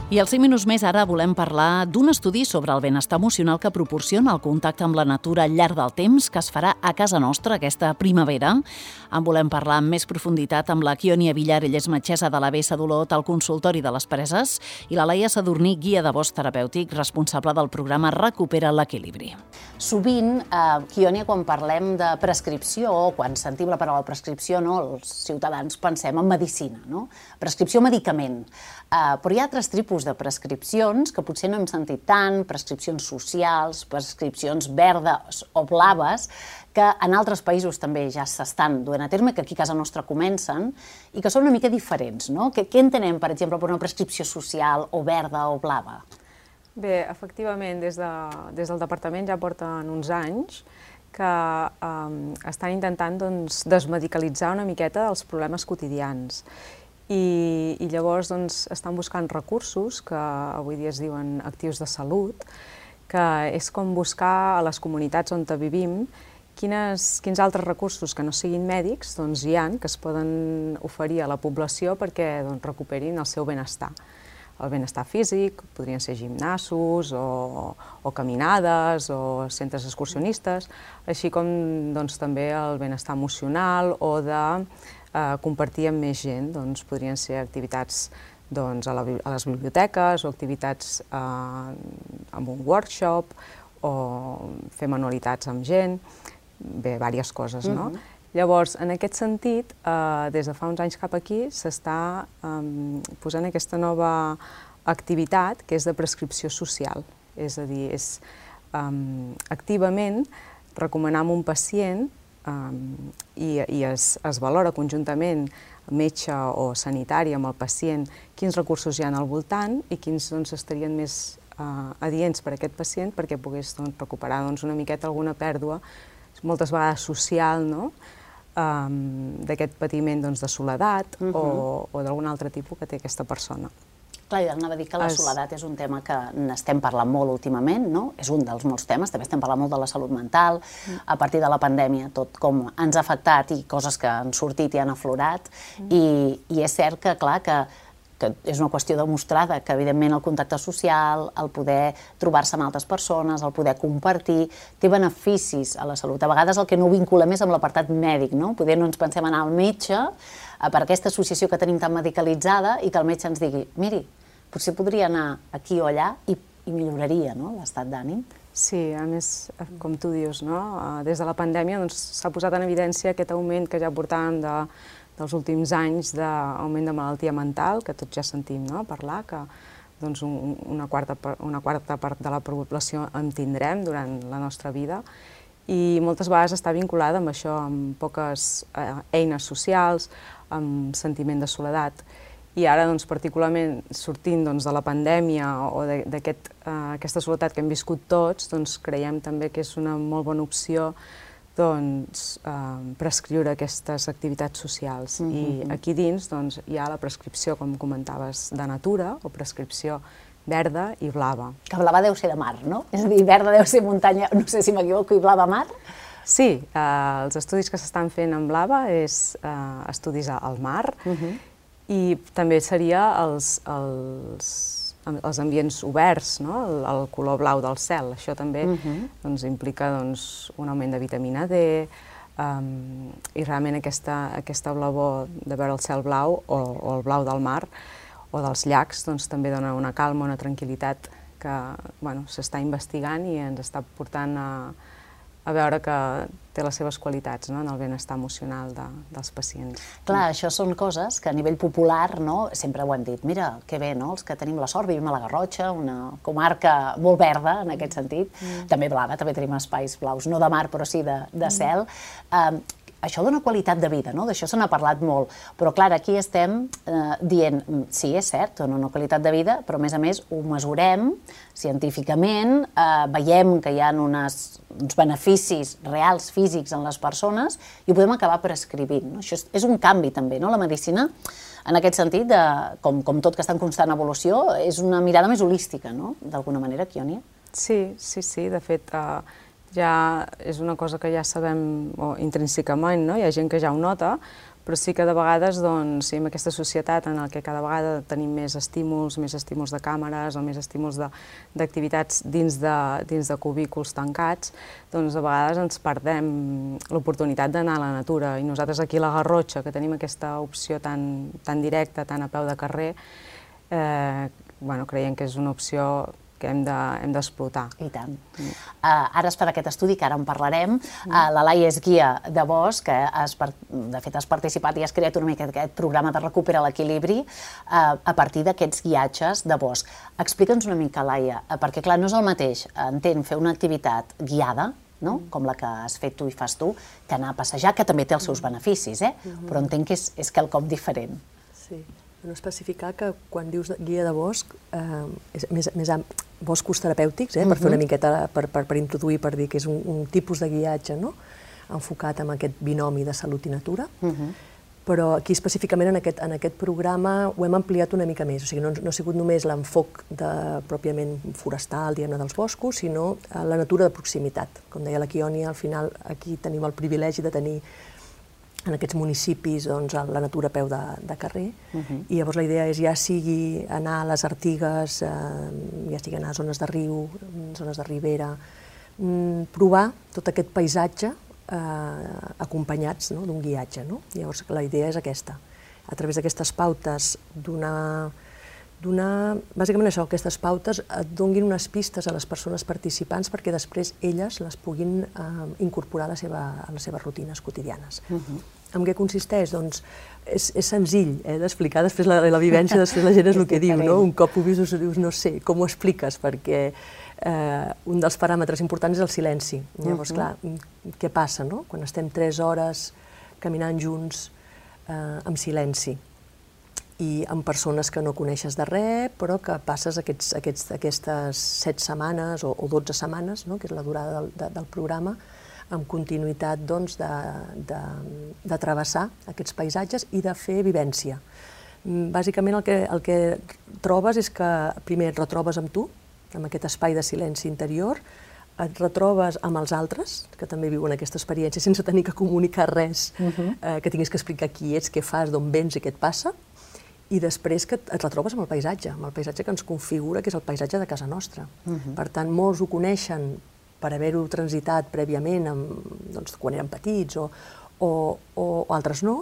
I als 5 minuts més ara volem parlar d'un estudi sobre el benestar emocional que proporciona el contacte amb la natura al llarg del temps que es farà a casa nostra aquesta primavera. En volem parlar amb més profunditat amb la Kionia Villar, ella és metgessa de la BS d'Olot al consultori de les Preses, i la Laia Sadurní, guia de bosc terapèutic, responsable del programa Recupera l'Equilibri. Sovint, Kionia, quan parlem de prescripció o quan sentim la paraula prescripció, els ciutadans pensem en medicina, prescripció medicament. Però hi ha altres tipus de prescripcions que potser no hem sentit tant, prescripcions socials, prescripcions verdes o blaves, que en altres països també ja s'estan duent a terme, que aquí a casa nostra comencen, i que són una mica diferents. Què entenem, per exemple, per una prescripció social o verda o blava? Bé, efectivament, des del departament ja porten uns anys que estan intentant desmedicalitzar una miqueta els problemes quotidians. I llavors estan buscant recursos, que avui dia es diuen actius de salut, que és com buscar a les comunitats on vivim quins altres recursos que no siguin mèdics hi ha que es poden oferir a la població perquè recuperin el seu benestar. El benestar físic, podrien ser gimnasos o caminades o centres excursionistes, així com també el benestar emocional o de compartir amb més gent. Podrien ser activitats a les biblioteques o activitats amb un workshop o fer manualitats amb gent, bé, diverses coses, no? Llavors, en aquest sentit, des de fa uns anys cap aquí s'està posant aquesta nova activitat que és de prescripció social, és a dir, és activament recomanar a un pacient i es valora conjuntament metge o sanitari amb el pacient quins recursos hi ha al voltant i quins estarien més adients per a aquest pacient perquè pogués recuperar una miqueta alguna pèrdua, moltes vegades social, d'aquest patiment de soledat o d'algun altre tipus que té aquesta persona. Clar, jo anava a dir que la soledat és un tema que n'estem parlant molt últimament, és un dels molts temes, també estem parlant molt de la salut mental, a partir de la pandèmia, tot com ens ha afectat i coses que han sortit i han aflorat, i és cert que, clar, que és una qüestió demostrada, que evidentment el contacte social, el poder trobar-se amb altres persones, el poder compartir, té beneficis a la salut. A vegades el que no ho vinculem és amb l'apartat mèdic, poder no ens pensem anar al metge per aquesta associació que tenim tan medicalitzada i que el metge ens digui, miri, potser podria anar aquí o allà i milloraria l'estat d'ànim. Sí, a més, com tu dius, des de la pandèmia s'ha posat en evidència aquest augment que ja portàvem dels últims anys d'augment de malaltia mental, que tots ja sentim parlar, que una quarta part de la població en tindrem durant la nostra vida, i moltes vegades està vinculada amb això, amb poques eines socials, amb sentiment de soledat. I ara, particularment, sortint de la pandèmia o d'aquesta soledat que hem viscut tots, creiem també que és una molt bona opció prescriure aquestes activitats socials. I aquí dins hi ha la prescripció, com comentaves, de natura o prescripció verda i blava. Que blava deu ser de mar, no? És a dir, verda deu ser muntanya, no sé si m'equivoco, i blava mar? Sí, els estudis que s'estan fent en blava és estudis al mar i també seria els ambients oberts, el color blau del cel. Això també implica un augment de vitamina D i realment aquesta blavor de veure el cel blau o el blau del mar o dels llacs també dona una calma, una tranquil·litat que s'està investigant i ens està portant a veure que té les seves qualitats en el benestar emocional dels pacients. Clar, això són coses que a nivell popular sempre ho han dit. Mira, que bé, els que tenim la sort, vivim a la Garrotxa, una comarca molt verda en aquest sentit, també blava, també tenim espais blaus, no de mar però sí de cel. Això dona qualitat de vida, d'això se n'ha parlat molt, però clar, aquí estem dient, sí, és cert, dona una qualitat de vida, però a més ho mesurem científicament, veiem que hi ha uns beneficis reals, físics en les persones i ho podem acabar prescrivint. Això és un canvi també, la medicina, en aquest sentit, com tot que està en constant evolució, és una mirada més holística, d'alguna manera, Kionia? Sí, de fet, ja és una cosa que ja sabem intrínsecament, hi ha gent que ja ho nota, però sí que de vegades, doncs, en aquesta societat en què cada vegada tenim més estímuls de càmeres o més estímuls d'activitats dins de cubículs tancats, doncs a vegades ens perdem l'oportunitat d'anar a la natura. I nosaltres aquí a la Garrotxa, que tenim aquesta opció tan directa, tan a peu de carrer, creiem que és una opció que hem d'explotar. I tant. Ara es farà aquest estudi, que ara en parlarem. La Laia és guia de bosc, que de fet has participat i has creat una mica aquest programa de Recupera l'Equilibri a partir d'aquests guiatges de bosc. Explica'ns una mica, Laia, perquè clar, no és el mateix, entenc, fer una activitat guiada, com la que has fet tu i fas tu, que anar a passejar, que també té els seus beneficis, però entenc que és quelcom diferent. Sí. Especificar que quan dius guia de bosc, és més boscos terapèutics, per fer una miqueta, per introduir, per dir que és un tipus de guiatge enfocat en aquest binomi de salut i natura, però aquí específicament en aquest programa ho hem ampliat una mica més, o sigui, no ha sigut només l'enfoc pròpiament forestal, diguem-ne, dels boscos, sinó la natura de proximitat. Com deia la Quioni, al final aquí tenim el privilegi de tenir en aquests municipis la natura a peu de carrer, i llavors la idea és ja sigui anar a les Artigues, ja sigui anar a zones de riu, zones de ribera, provar tot aquest paisatge acompanyats d'un guiatge. Llavors la idea és aquesta, a través d'aquestes pautes bàsicament això, aquestes pautes et donguin unes pistes a les persones participants perquè després elles les puguin incorporar a les seves rutines quotidianes. En què consisteix? Doncs és senzill d'explicar, després la vivència, després la gent és el que diu, un cop ho vius dius no sé, com ho expliques, perquè un dels paràmetres importants és el silenci. Llavors, clar, què passa quan estem 3 hores caminant junts amb silenci i amb persones que no coneixes de res, però que passes aquestes 7 setmanes o 12 setmanes, que és la durada del programa, amb continuïtat de travessar aquests paisatges i de fer vivència. Bàsicament el que trobes és que primer et retrobes amb tu, amb aquest espai de silenci interior, et retrobes amb els altres, que també viuen aquesta experiència sense tenir que comunicar res, que tinguis que explicar qui ets, què fas, d'on vens i què et passa, i després que et retrobes amb el paisatge que ens configura, que és el paisatge de casa nostra. Per tant, molts ho coneixen per haver-ho transitat prèviament quan eren petits o altres no,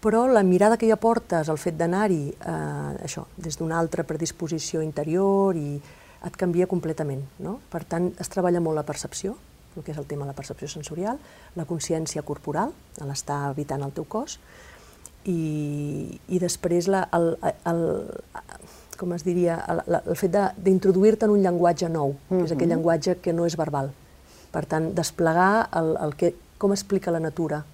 però la mirada que hi aportes, el fet d'anar-hi des d'una altra predisposició interior, i et canvia completament. Per tant, es treballa molt la percepció, el que és el tema de la percepció sensorial, la consciència corporal, l'estar habitant el teu cos, i després com es diria, el fet d'introduir-te en un llenguatge nou, que és aquell llenguatge que no és verbal. Per tant, desplegar com explica la natura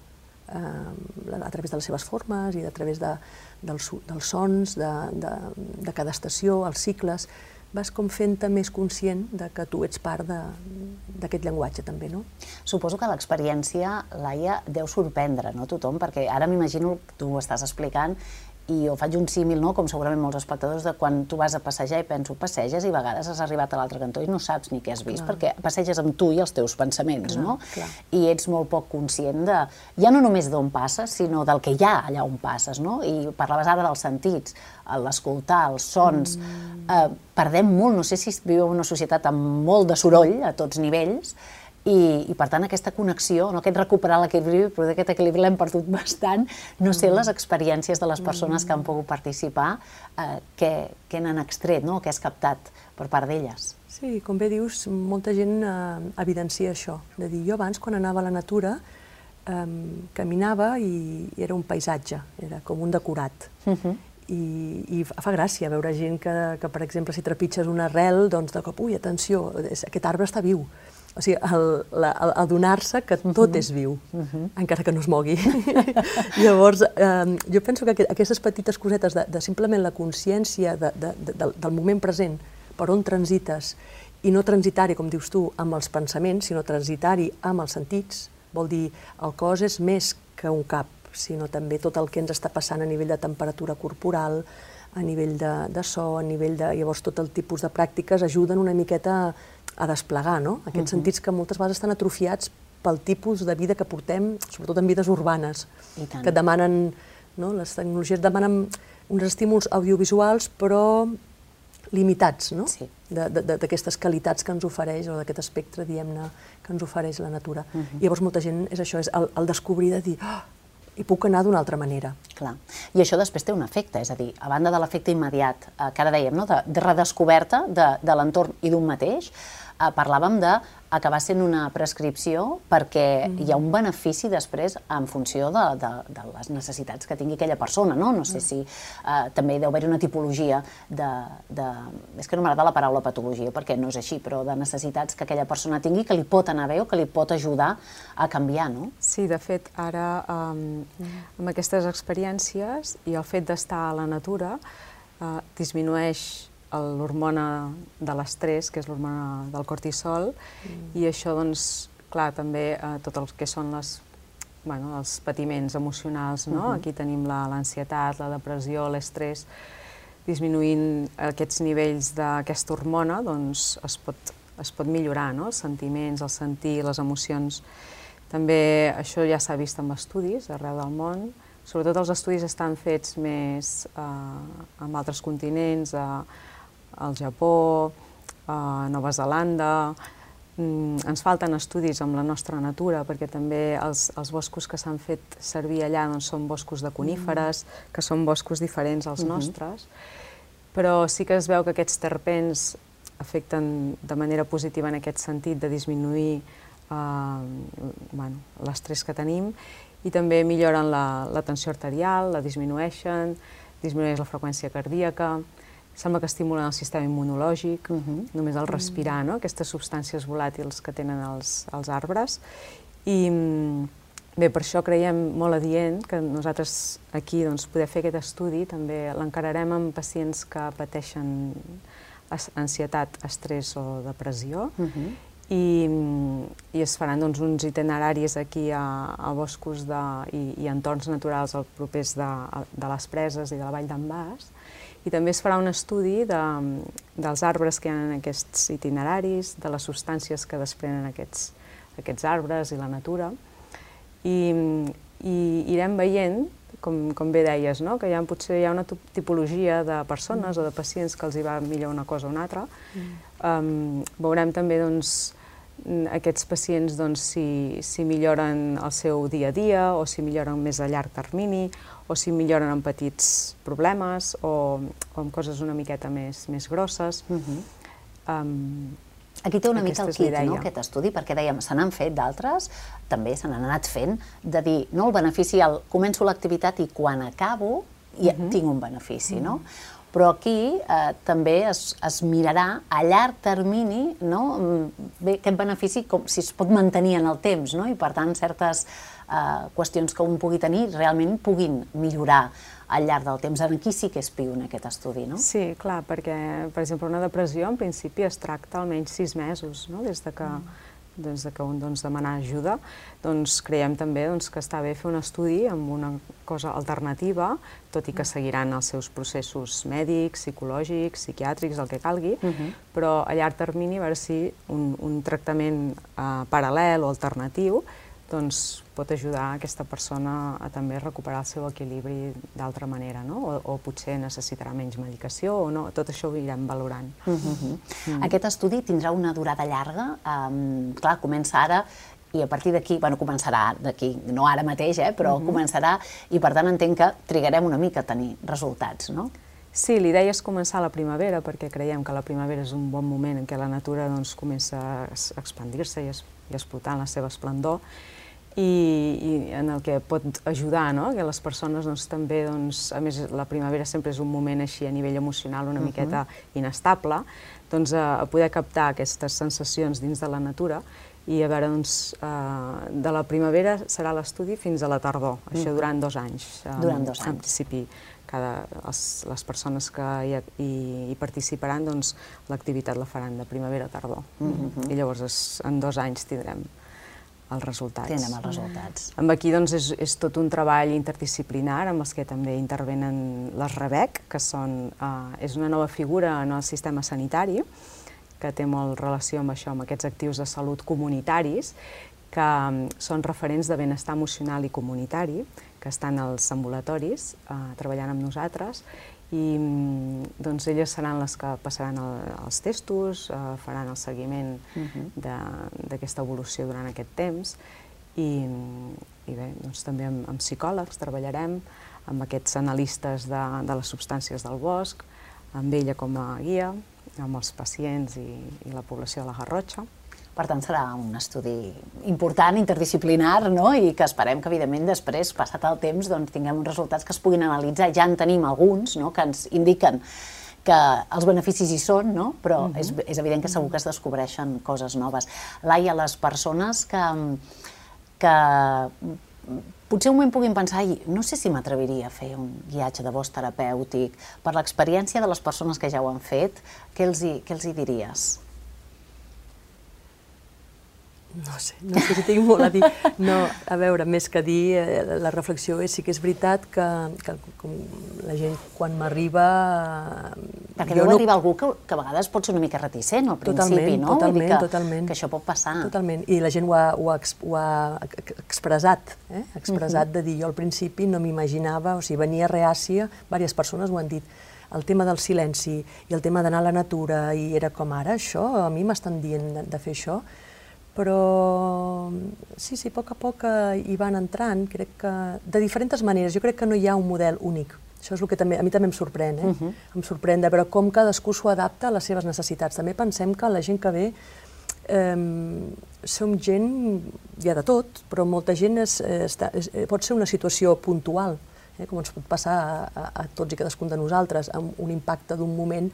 a través de les seves formes i a través dels sons de cada estació, els cicles, vas com fent-te més conscient que tu ets part d'aquest llenguatge també, no? Suposo que l'experiència, Laia, deu sorprendre tothom, perquè ara m'imagino, tu ho estàs explicant, i jo faig un símil, com segurament molts espectadors, de quan tu vas a passejar i penso, passeges i a vegades has arribat a l'altre cantó i no saps ni què has vist, perquè passeges amb tu i els teus pensaments, no? I ets molt poc conscient ja no només d'on passes, sinó del que hi ha allà on passes, no? I parlaves ara dels sentits, l'escoltar, els sons. Perdem molt, no sé si vivim en una societat amb molt de soroll a tots nivells, i per tant aquesta connexió, aquest recuperar l'equilibri, però aquest equilibri l'hem perdut bastant. No sé les experiències de les persones que han pogut participar, què n'han extret, què has captat per part d'elles. Sí, com bé dius, molta gent evidencia això, de dir, jo abans quan anava a la natura caminava i era un paisatge, era com un decorat. I fa gràcia veure gent que, per exemple, si trepitges una arrel, doncs de cop, ui, atenció, aquest arbre està viu. O sigui, adonar-se que tot és viu, encara que no es mogui. Llavors, jo penso que aquestes petites cosetes de simplement la consciència del moment present, per on transites, i no transitar-hi, com dius tu, amb els pensaments, sinó transitar-hi amb els sentits, vol dir, el cos és més que un cap, sinó també tot el que ens està passant a nivell de temperatura corporal, a nivell de so, a nivell de... Llavors, tot el tipus de pràctiques ajuden una miqueta a desplegar, no? Aquests sentits que moltes vegades estan atrofiats pel tipus de vida que portem, sobretot en vides urbanes, que demanen no? Les tecnologies demanen uns estímuls audiovisuals, però limitats, no? Sí. D'aquestes qualitats que ens ofereix, o d'aquest espectre, diguem-ne, que ens ofereix la natura. I llavors molta gent és això, és el descobrir de dir, hi puc anar d'una altra manera. Clar. I això després té un efecte, és a dir, a banda de l'efecte immediat, que ara dèiem, no? de redescoberta de l'entorn i d'un mateix, parlàvem d'acabar sent una prescripció perquè hi ha un benefici després en funció de les necessitats que tingui aquella persona, no? No sé si també deu haver-hi una tipologia és que no m'agrada la paraula patologia perquè no és així, però de necessitats que aquella persona tingui que li pot anar bé o que li pot ajudar a canviar, no? Sí, de fet, ara amb aquestes experiències i el fet d'estar a la natura disminueix l'hormona de l'estrès, que és l'hormona del cortisol, i això, doncs, clar, també tot el que són els patiments emocionals, no? Aquí tenim l'ansietat, la depressió, l'estrès, disminuint aquests nivells d'aquesta hormona, doncs es pot millorar, no? Els sentiments, el sentir, les emocions. També això ja s'ha vist en estudis arreu del món, sobretot els estudis estan fets més en altres continents, al Japó, a Nova Zelanda. Ens falten estudis amb la nostra natura, perquè també els boscos que s'han fet servir allà són boscos de coníferes, que són boscos diferents als nostres, però sí que es veu que aquests terpens afecten de manera positiva en aquest sentit de disminuir l'estrès que tenim i també milloren la tensió arterial, la disminueixen, disminueix la freqüència cardíaca, sembla que estimulen el sistema immunològic, només el respirar, aquestes substàncies volàtils que tenen els arbres. I bé, per això creiem molt adient que nosaltres aquí poder fer aquest estudi, també l'encararem amb pacients que pateixen ansietat, estrès o depressió, i es faran uns itineraris aquí a boscos i entorns naturals propers de les preses i de la vall d'en Bas, i també es farà un estudi dels arbres que hi ha en aquests itineraris, de les substàncies que desprenen aquests arbres i la natura, i irem veient, com bé deies, que potser hi ha una tipologia de persones o de pacients que els hi va millor una cosa o una altra. Veurem també aquests pacients si milloren el seu dia a dia o si milloren més a llarg termini o si milloren amb petits problemes o amb coses una miqueta més grosses. Aquí té una mica el quid, no, aquest estudi, perquè dèiem, se n'han fet d'altres, també se n'han anat fent, de dir, no, el benefici, començo l'activitat i quan acabo tinc un benefici, no? Però aquí també es mirarà a llarg termini aquest benefici si es pot mantenir en el temps, i per tant certes qüestions que un pugui tenir realment puguin millorar al llarg del temps. Aquí sí que és piu en aquest estudi, no? Sí, clar, perquè, per exemple, una depressió en principi es tracta almenys 6 mesos, des que un demana ajuda. Creiem també que està bé fer un estudi amb una cosa alternativa, tot i que seguiran els seus processos mèdics, psicològics, psiquiàtrics, el que calgui, però a llarg termini a veure si un tractament paral·lel o alternatiu pot ajudar aquesta persona a també recuperar el seu equilibri d'altra manera, o potser necessitarà menys medicació o no, tot això ho irem valorant. Aquest estudi tindrà una durada llarga, clar, comença ara i a partir d'aquí, bueno, començarà d'aquí, no ara mateix, però començarà i per tant entenc que trigarem una mica a tenir resultats, no? Sí, l'idea és començar a la primavera perquè creiem que la primavera és un bon moment en què la natura comença a expandir-se i a explotar en la seva esplendor i en el que pot ajudar que les persones també, a més la primavera sempre és un moment així a nivell emocional una miqueta inestable, a poder captar aquestes sensacions dins de la natura i a veure, de la primavera serà l'estudi fins a la tardor, això durant 2 anys. Durant 2 anys. En principi, les persones que hi participaran, l'activitat la faran de primavera a tardor. I llavors en 2 anys tindrem els resultats. Tindrem els resultats. Aquí és tot un treball interdisciplinar amb els que també intervenen les REBEC, que és una nova figura en el sistema sanitari, que té molt relació amb això, amb aquests actius de salut comunitaris, que són referents de benestar emocional i comunitari, que estan als ambulatoris treballant amb nosaltres, i doncs elles seran les que passaran els testos, faran el seguiment d'aquesta evolució durant aquest temps, i bé, doncs també amb psicòlegs treballarem, amb aquests analistes de les substàncies del bosc, amb ella com a guia, amb els pacients i la població de la Garrotxa. Per tant, serà un estudi important, interdisciplinar, i que esperem que, evidentment, després, passat el temps, tinguem uns resultats que es puguin analitzar. Ja en tenim alguns que ens indiquen que els beneficis hi són, però és evident que segur que es descobreixen coses noves. Laia, les persones que potser un moment puguin pensar, no sé si m'atreviria a fer un guiatge de bosc terapèutic, per l'experiència de les persones que ja ho han fet, què els hi diries? No sé si tinc molt a dir. No, a veure, més que dir, la reflexió sí que és veritat que la gent quan m'arriba... Perquè deu arribar algú que a vegades pot ser una mica reticent al principi, no? Totalment. Que això pot passar. Totalment, i la gent ho ha expressat, expressat de dir, jo al principi no m'imaginava, o sigui, venia reàcia, diverses persones ho han dit, el tema del silenci i el tema d'anar a la natura, i era com ara, això, a mi m'estan dient de fer això, però sí, a poc hi van entrant, crec que de diferents maneres. Jo crec que no hi ha un model únic. Això és el que a mi també em sorprèn, em sorprèn de veure com cadascú s'ho adapta a les seves necessitats. També pensem que la gent que ve som gent, hi ha de tot, però molta gent pot ser una situació puntual, com ens pot passar a tots i cadascun de nosaltres, amb un impacte d'un moment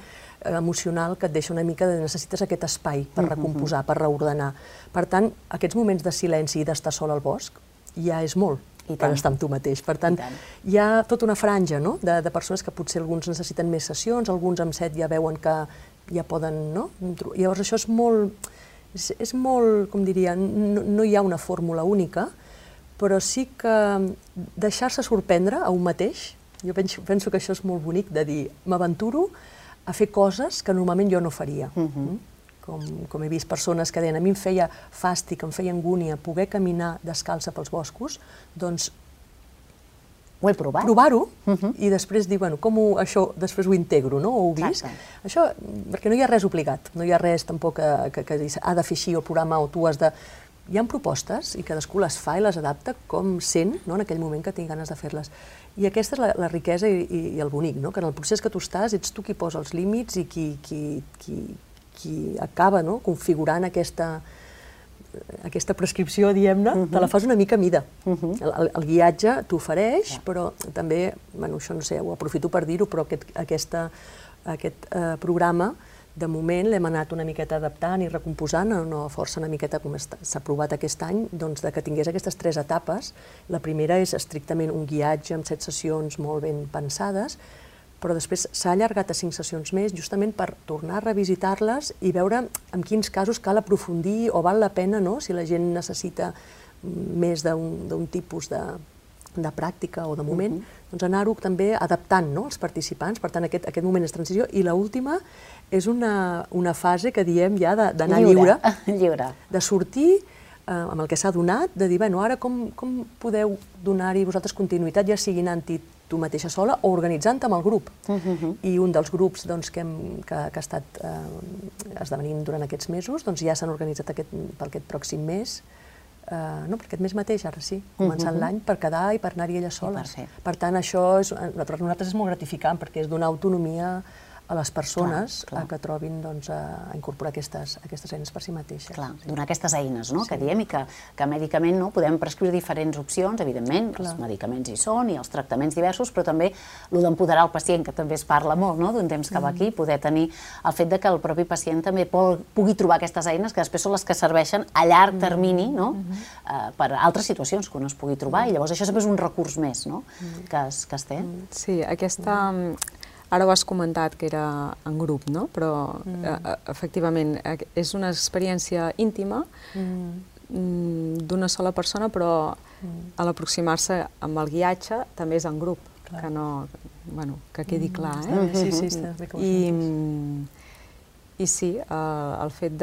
emocional que et deixa una mica de necessites aquest espai per recomposar, per reordenar. Per tant, aquests moments de silenci i d'estar sol al bosc ja és molt per estar amb tu mateix. Per tant, hi ha tota una franja de persones que potser alguns necessiten més sessions, alguns amb set ja veuen que ja poden... Llavors això és molt, com diria, no hi ha una fórmula única, però sí que deixar-se sorprendre a un mateix, jo penso que això és molt bonic, de dir, m'aventuro a fer coses que normalment jo no faria. Com he vist persones que deien, a mi em feia fàstic, em feia angúnia poder caminar descalça pels boscos, doncs ho he provat. Provar-ho i després dir, bueno, com això després ho integro, no? Ho heu vist? Això, perquè no hi ha res obligat, no hi ha res tampoc que ha de fer així el programa o tu has de... Hi ha propostes i cadascú les fa i les adapta com sent en aquell moment que tingui ganes de fer-les. I aquesta és la riquesa i el bonic, que en el procés que tu estàs ets tu qui posa els límits i qui acaba configurant aquesta prescripció, diguem-ne, te la fas una mica a mida. El guiatge t'ofereix, però també, això no sé, ho aprofito per dir-ho, però aquest programa de moment l'hem anat una miqueta adaptant i recomposant, no força una miqueta com s'ha provat aquest any, doncs que tingués aquestes 3 etapes. La primera és estrictament un guiatge amb 7 sessions molt ben pensades, però després s'ha allargat a 5 sessions més justament per tornar a revisitar-les i veure en quins casos cal aprofundir o val la pena, si la gent necessita més d'un tipus de pràctica o de moment, doncs anar-ho també adaptant als participants. Per tant, aquest moment és transició. I l'última és una fase que diem ja d'anar lliure, de sortir amb el que s'ha donat, de dir, bueno, ara com podeu donar-hi vosaltres continuïtat, ja sigui anant-hi tu mateixa sola o organitzant amb el grup. I un dels grups que ha estat esdevenint durant aquests mesos, ja s'han organitzat per aquest pròxim mes, no, per aquest mes mateix, ara sí, començant l'any, per quedar i per anar-hi elles soles. Per tant, això per nosaltres és molt gratificant, perquè és donar autonomia a les persones que trobin a incorporar aquestes eines per si mateixes. Clar, donar aquestes eines, que diem, i que mèdicament podem prescriure diferents opcions, evidentment, els medicaments hi són i els tractaments diversos, però també el d'empoderar el pacient, que també es parla molt d'un temps que va aquí, poder tenir el fet que el propi pacient també pugui trobar aquestes eines que després són les que serveixen a llarg termini per altres situacions que un es pugui trobar, i llavors això sempre és un recurs més que es té. Sí, ara ho has comentat que era en grup, però efectivament és una experiència íntima d'una sola persona, però a l'aproximar-se amb el guiatge també és en grup, que quedi clar. Sí, està bé com ho sents. I sí, el fet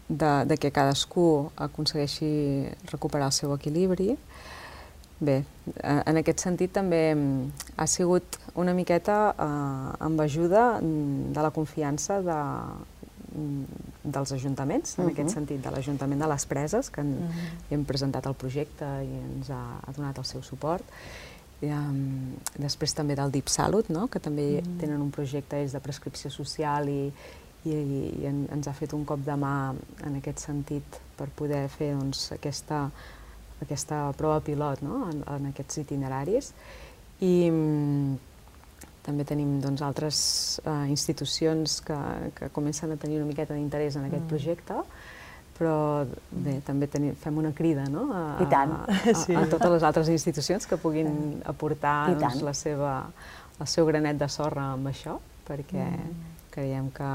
de que cadascú aconsegueixi recuperar el seu equilibri. Bé, en aquest sentit també ha sigut una miqueta amb ajuda de la confiança dels ajuntaments, en aquest sentit, de l'Ajuntament de les Preses, que hem presentat el projecte i ens ha donat el seu suport. Després també del Deep Salut, que també tenen un projecte de prescripció social i ens ha fet un cop de mà en aquest sentit per poder fer aquesta prova pilot en aquests itineraris. I també tenim altres institucions que comencen a tenir una miqueta d'interès en aquest projecte, però bé, també fem una crida a totes les altres institucions que puguin aportar el seu granet de sorra amb això, perquè creiem que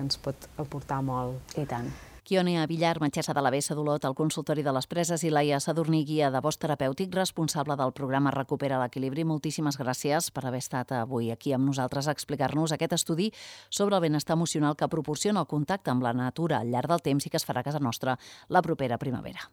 ens pot aportar molt. I tant. Quione Villar, metgessa de la Bessa d'Olot, al consultori de les Preses, i Laia Sadurní, guia de bosc terapèutic, responsable del programa Recupera l'Equilibri. Moltíssimes gràcies per haver estat avui aquí amb nosaltres a explicar-nos aquest estudi sobre el benestar emocional que proporciona el contacte amb la natura al llarg del temps i que es farà a casa nostra la propera primavera.